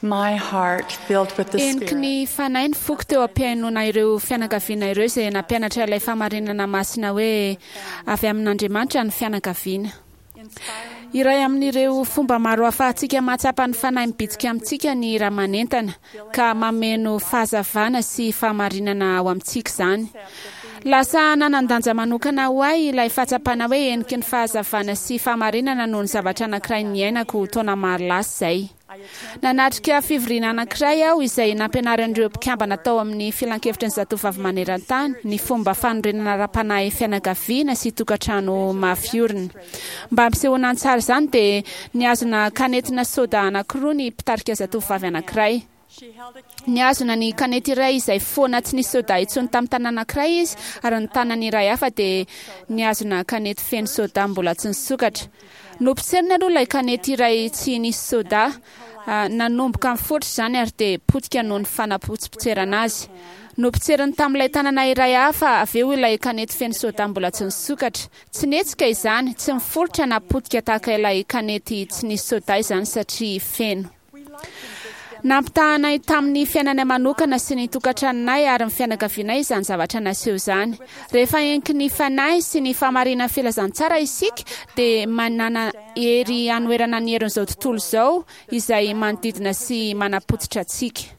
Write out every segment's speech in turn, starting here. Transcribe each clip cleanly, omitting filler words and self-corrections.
My heart filled with the Heniky Spirit. ny Fanahy ny foko teo am-pihainoana ireo fianakaviana ireo izay nampianatra ilay fahamarinana masina hoe avy amin'Andriamanitra ny fianakaviana. Iray amin'ireo fomba maro ahafahantsika mahatsapa ny Fanahy mibitsika amintsika ny hira manentana, ka mameno fahazavana sy fahamarinana ao amintsika izany. Lasa nanan-danja manokana ho ahy ilay fahatsapana hoe heniky ny fahazavana sy fahamarinana noho ny zavatra anankiray niainako taona maro lasa izay. Nanatrika fivoriana anankiray aho izay nampianarin'ireo mpikambana tao amin'ny Filankevitry ny Zatovovavy Maneran-tany ny fomba fanorenana ara-panahy fianakaviana sy tokantrano mafy orina. Mba hampisehoana an-tsary izany dia nihazona kanetina soda anankiroa ny mpitarika zatovovavy anankiray. Nihazona ny kanety iray izay foana tsy nisy soda intsony tamin'ny tanana anankiray izy ary ny tanany iray hafa dia nihazona kanety feno soda mbola tsy nisokatra. Nopotseriny aloha ilay kanety iray tsy nisy soda. Nanomboka niforitra izany ary dia potika noho ny fanapotsipotserana azy. Nopotseriny tamin'ilay tanana iray hafa avy eo ilay kanety feno soda mbola tsy nisokatra. Tsy nihetsika izany, tsy niforitra na potika tahaka ilay kanety tsy nisy soda izany satria feno. Nampitahanay tamin'ny fiainanay manokana sy ny tokantranonay ary ny fianakavianay izany zavatra naseho izany. Rehefa heniky ny Fanahy sy ny fahamarinan'ny filazantsara isika dia manana hery hanoherana ny herin'izao tontolo izao izay manodidina sy manapotsitra antsika.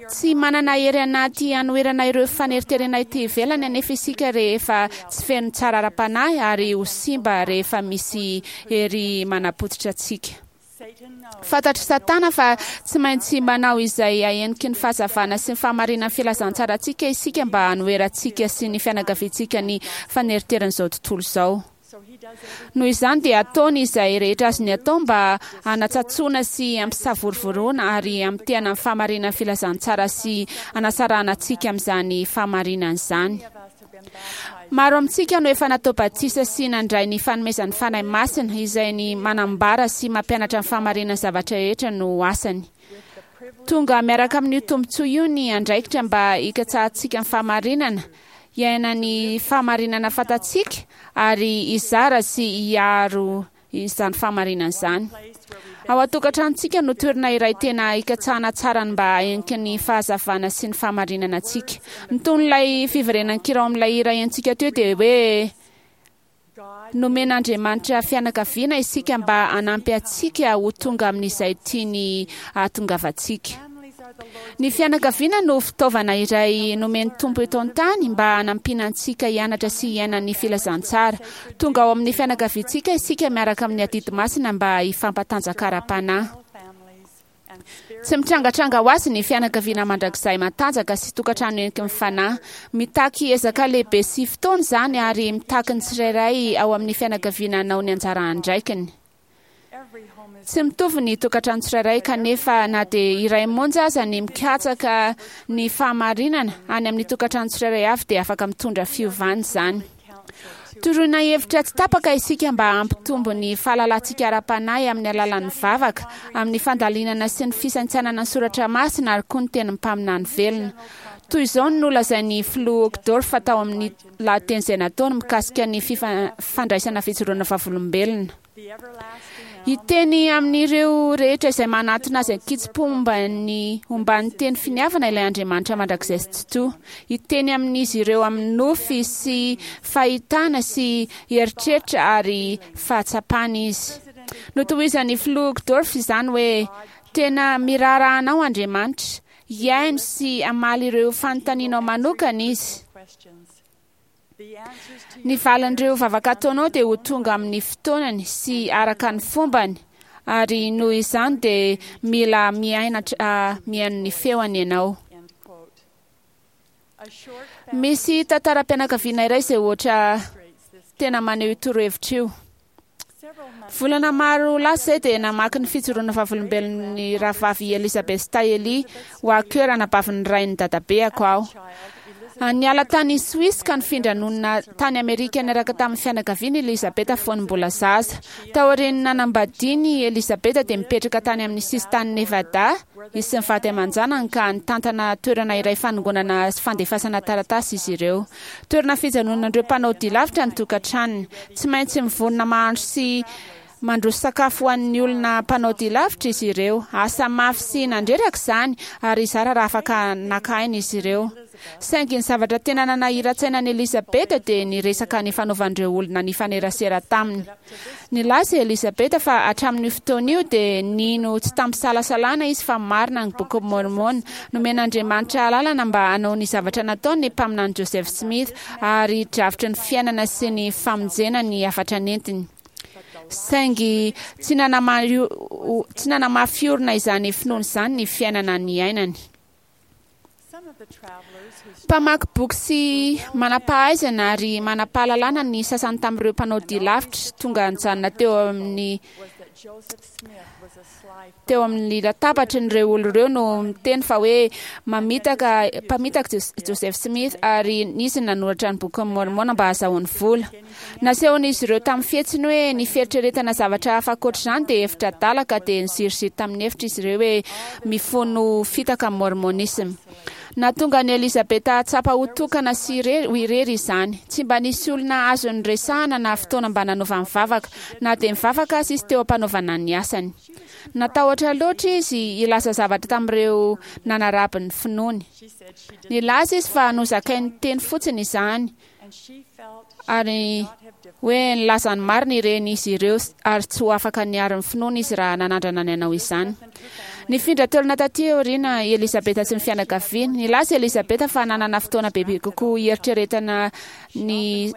Tsy manana hery anaty hanoherana ireo faneriterena ety ivelany anefa isika rehefa tsy feno tsara ara-panahy ary ho simba rehefa misy hery manapotsitra antsika. Fantatr'i Satana fa tsy maintsy manao izay haheniky ny fahazavana sy ny fahamarinan'ny filazantsarantsika isika mba hanoherantsika sy ny fianakaviantsika ny faneriteran'izao tontolo izao. Noho izany dia ataony izay rehetra azony atao mba hanatsatsoana sy hampisavorovoroana ary hamitehana ny fahamarinan'ny filazantsara sy hanasarahana antsika amin'izany fahamarinana izany. Maro amintsika no efa natao batisa sy nandray ny fanomezan'ny Fanahy Masina, izay ny manambara sy mampianatra ny fahamarinan'ny zavatra rehetra no asany. Tonga miaraka amin'io tombontsoa io ny andraikitra mba hikatsahantsika ny fahamarinana, hiaina ny fahamarinana fantatsika, ary hizara sy hiaro izany fahamarinana izany. Ao an-tokantranontsika no toerana iray tena hikatsahana tsara ny mba haheniky ny fahazavana sy ny fahamarinana antsika. Ny tonon'ilay fiverenan-kira ao amin'ilay hira henontsika teo dia hoe Nomen'Andriamanitra fianakaviana isika mba hanampy antsika ho tonga amin'izay tiany hahatongavantsika. Ny fianakaviana no fitaovana iray nomen'ny Tompo eto an-tany mba hanampiana antsika hianatra sy hiaina ny filazantsara. Tonga ao amin'ny fianakaviantsika isika miaraka amin'ny adidy masina mba hifampatanjaka ara-panahy. Tsy mitrangatranga ho azy ny fianakaviana mandrakizay matanjaka sy tokantrano heniky ny fanahy. Mitaky ezaka lehibe sy fotoana izany ary mitaky ny tsirairay ao amin'ny fianakaviana hanao ny anjara andraikiny. Tsy mitovy ny tokantrano tsirairay kanefa na dia iray monja aza ny mikatsaka ny fahamarinana any amin'ny tokantrano tsirairay avy dia afaka mitondra fiovana izany. Toroina hevitra tsy tapaka isika mba hampitombo ny fahalalantsika ara-panahy amin'ny alalan'ny vavaka, amin'ny fandalinana sy ny fisaintsainana ny soratra masina ary koa ny tenin'ny mpaminany velona. Toy izao no nolazain'ny Filoha Uchtdorf tao amin'ny lahateny izay nataony mikasika ny fandraisana fijoroana vavolombelona. Hiteny amin'ireo rehetra izay manatona azy an-kitsim-po momba ny omban'ny teny finiavana ilay Andriamanitra mandrakizay sy Tsitoha. Hiteny amin'izy ireo amin'ny nofy sy fahitana sy eritreritra ary fahatsapana izy. Notohizan'ny Filoha Uchtdorf izany hoe, Tena miraharaha anao Andriamanitra. Hihaino sy hamaly ireo fanontanianao manokana Izy. Ny valin'ireo vavaka ataonao dia ho tonga amin'ny fotoanany sy araka ny fombany, ary noho izany dia mila miainatra mihaino ny feony ianao. Misy tantaram-pianakaviana iray izay ohatra tena maneho io torohevitra io. Volana maro lasa izay dia namaky ny fijoroana vavolombelon'ny rahavavy Elizabeth Staley Walker, anabavin'ny rain'ny dadabeako aho. Niala tany Suisse ka nifindra nonina tany Amerika niaraka tamin'ny fianakaviany i Elizabeth fony mbola zaza. Taorian'ny nanambadiany i Elizabeth dia nipetraka tany amin'ny sisin-tanin'i Nevada izy sy ny vady aman-janany ka nitantana toerana iray fanongonana sy fandefasana taratasy izy ireo. Toerana fijanonan'ireo mpanao dia lavitra ny tokantranony. Tsy maintsy mivonona mahandro sy. Mandroso sakafo ho an'ny olona mpanao dia lavitra izy ireo. Asa mafy sy nandreraka izany, ary zara raha afaka naka aina izy ireo. Saingy ny zavatra tena nanahiran-tsaina an'i Elizabeth dia ny resaka nifanaovan'ireo olona nifanerasera taminy. Nilaza i Elizabeth fa hatramin'io fotoana io dia nino tsy tamim-pisalasalana izy fa marina ny Bokin'i Môrmôna. Nomen'Andriamanitra alalana mba hanao ny zavatra nataony ny mpaminany Joseph Smith, ary drafitry ny fiainana sy ny famonjena ny hafatra nentiny. Saingy tsy nanamafy orina izany finoana izany ny fiainana niainany. Mpamaky boky sy manam-pahaizana ary manam-pahalalana ny sasany tamin'ireo mpanao dia lavitra tonga nijanona teo amin'ny teo amin'ny latabatry ny ireo olona ireo no miteny fa hoe mamitaka mpamitaka Joseph Smith ary nisy ny nanoratra ny bokin'i Môrmôna mba hahazahoany vola. Nasehon'izy ireo tamin'ny fihetsiny hoe ny fieritreretana zavatra hafa ankoatr'izany dia hevitra adala ka dia niziriziry tamin'ny hevitra izy ireo hoe mifono fitaka ny Môrmônisma. Nahatonga an'i Elizabeth hahatsapa ho tokana sy ho irery izany. Tsy mba nisy olona azony niresahana na fotoana mba nanaovany vavaka, na dia nivavaka aza izy teo am-panaovana ny asany. Natahotra loatra izy hilaza zavatra tamin'ireo nanaraby ny finoany. Nilaza izy fa nozakainy teny fotsiny izany, ary hoe nilaza ny marina ireny izy ireo ary tsy ho afaka niaro ny finoany izy raha nanandrana ny hanao izany. Nifindra toerana taty aoriana i Elizabeth sy ny fianakaviany. Nilaza i Elizabeth fa nanana fotoana bebe kokoa hieritreretana ny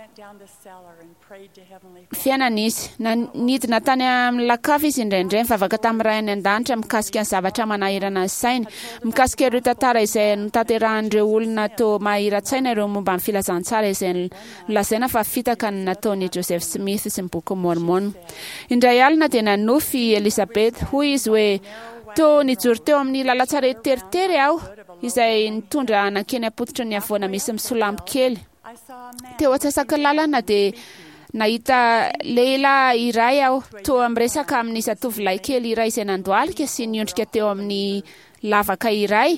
fiainana izy. Nidina tany amin'ny lakavy izy indraindray nivavaka tamin'ny Ray any An-danitra mikasika ny zavatra manahirana ny sainy, mikasika ireo tantara izay notanterahan'ireo olona toa mahira-tsaina ireo momba ny filazantsara izay nolazaina fa fitaka ny nataon'i Joseph Smith sy ny Bokin'i Môrmôna. Indray alina dia nanofy i Elizabeth. Hoy izy hoe, Toa nijoro teo amin'ny lalan-tsarety teritery aho, izay nitondra nankeny am-pototry ny havoana misy misolampy kely. Teo antsasaky ny lalana dia nahita lehilahy iray aho, toa miresaka amin'ny zatovolahy kely iray izay nandohalika sy niondrika teo amin'ny lavaka iray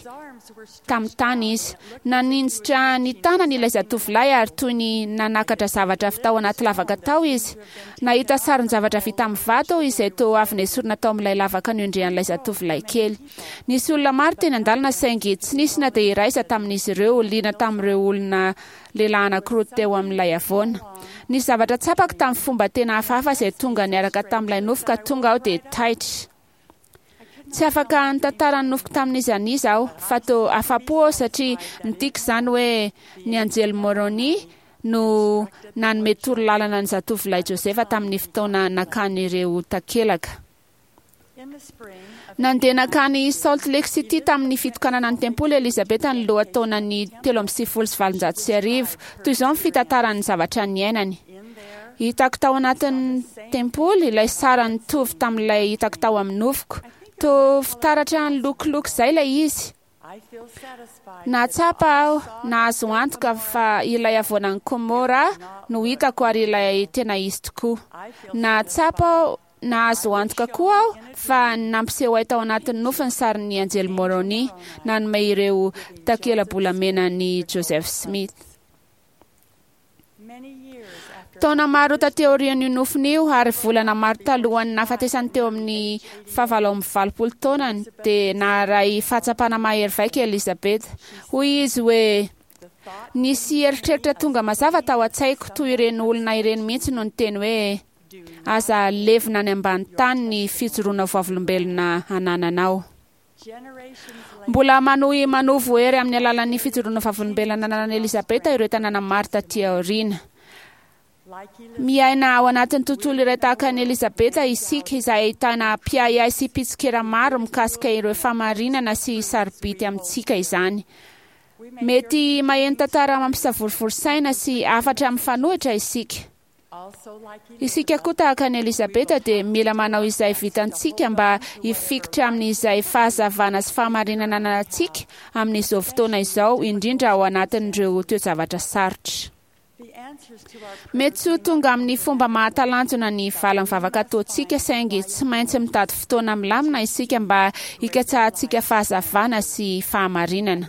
tamin'ny tany izy. Naninjitra ny tanany ilay zatovolahy ary toy ny nanakatra zavatra avy tao anaty lavaka tao izy. Nahita sarin-javatra vita amin'ny vato aho izay toa avy nesorina tao amin'ilay lavaka niondrehan'ilay zatovolahy kely. Nisy olona maro teny an-dalana saingy tsy nisy na dia iray aza tamin'izy ireo liana tamin'ireo olona lehilahy anankiroa teo amin'ilay havoana. Nisy zavatra tsapako tamin'ny fomba tena hafahafa izay tonga niaraka tamin'ilay nofy ka tonga aho dia taitra. Tsy afaka nitantara ny nofiko tamin'iza n'iza aho, fa toa afa-po aho satria midika izany hoe ny anjely Môrônia no nanome torolalana ny zatovolahy Josefa tamin'ny fotoana nakany ireo takelaka. Nandeha nankany Salt Lake City tamin'ny fitokanana ny tempoly Elizabeth ny lohataonan'ny 1893. Toy izao ny fitantarany ny zavatra niainany. Hitako tao anatin'ny tempoly ilay sara nitovy tamin'ilay hitako tao amin'ny nofiko. Toa fitaratra nilokoloko izay ilay izy. Nahatsapa aho, nahazo antoka fa ilay havoanan'i Komora no hitako ary ilay tena izy tokoa. Nahatsapa aho, nahazo antoka koa aho fa nampiseho ahy tao anatin'ny nofy ny sarin'ny anjely Moroni nanome ireo takela-bolamena an'i Joseph Smith. Taona maro taty aorian'io nofiny io ary volana maro talohan'ny nahafatesany teo amin'ny faha-88 taonany dia naharay fahatsapana mahery vaika i Elizabeth. Hoy izy hoe, Nisy eritreritra tonga mazava tao an-tsaiko, toy ireny olona ireny mihitsy no niteny hoe, 'Aza levona any ambany tany ny fijoroana ho vavolombelona anananao. Mbola manohy manovo hery amin'ny alalan'ny fijoroana vavolombelona nananan'i Elizabeth ireo tanàna maro taty aoriana. Miaina ao anatin'ny tontolo iray tahaka an'i Elizabeth isika, izay ahitana mpiahiahy sy mpitsikera maro mikasika ireo fahamarinana sy sarobidy amintsika izany. Mety maheno tantara mampisavorovoro saina sy hafatra mifanohitra isika. Isika koa tahaka an'i Elizabeta dia mila manao izay vitantsika mba hifikitra amin'izay fahazavana sy fahamarinana ananantsika amin'izao fotoana izao, indrindra ao anatin'ireo toe-javatra sarotra. Mety tsy ho tonga amin'ny fomba mahatalanjona ny valin'ny vavaka ataontsika, saingy tsy maintsy mitady fotoana milamina isika mba hikatsahantsika fahazavana sy fahamarinana.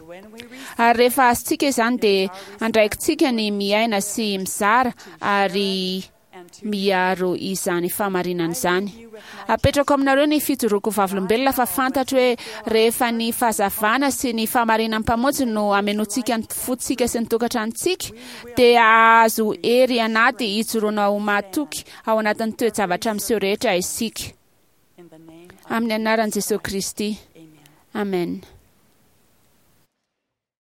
Ary rehefa azontsika izany dia andraikitsika ny miaina sy mizara ary miaro izany fahamarinana izany. Apetrako aminareo ny fijoroako vavolombelona fa fantatro hoe rehefa ny fahazavana sy ny fahamarinan'ny Mpamonjy no amenoantsika ny fontsika sy ny tokantranontsika, dia hahazo hery anaty hijoroana ho mahatoky ao anatin'ny toe-javatra miseho rehetra isika. Amin'ny anaran'i Jesoa Kristy. Amen.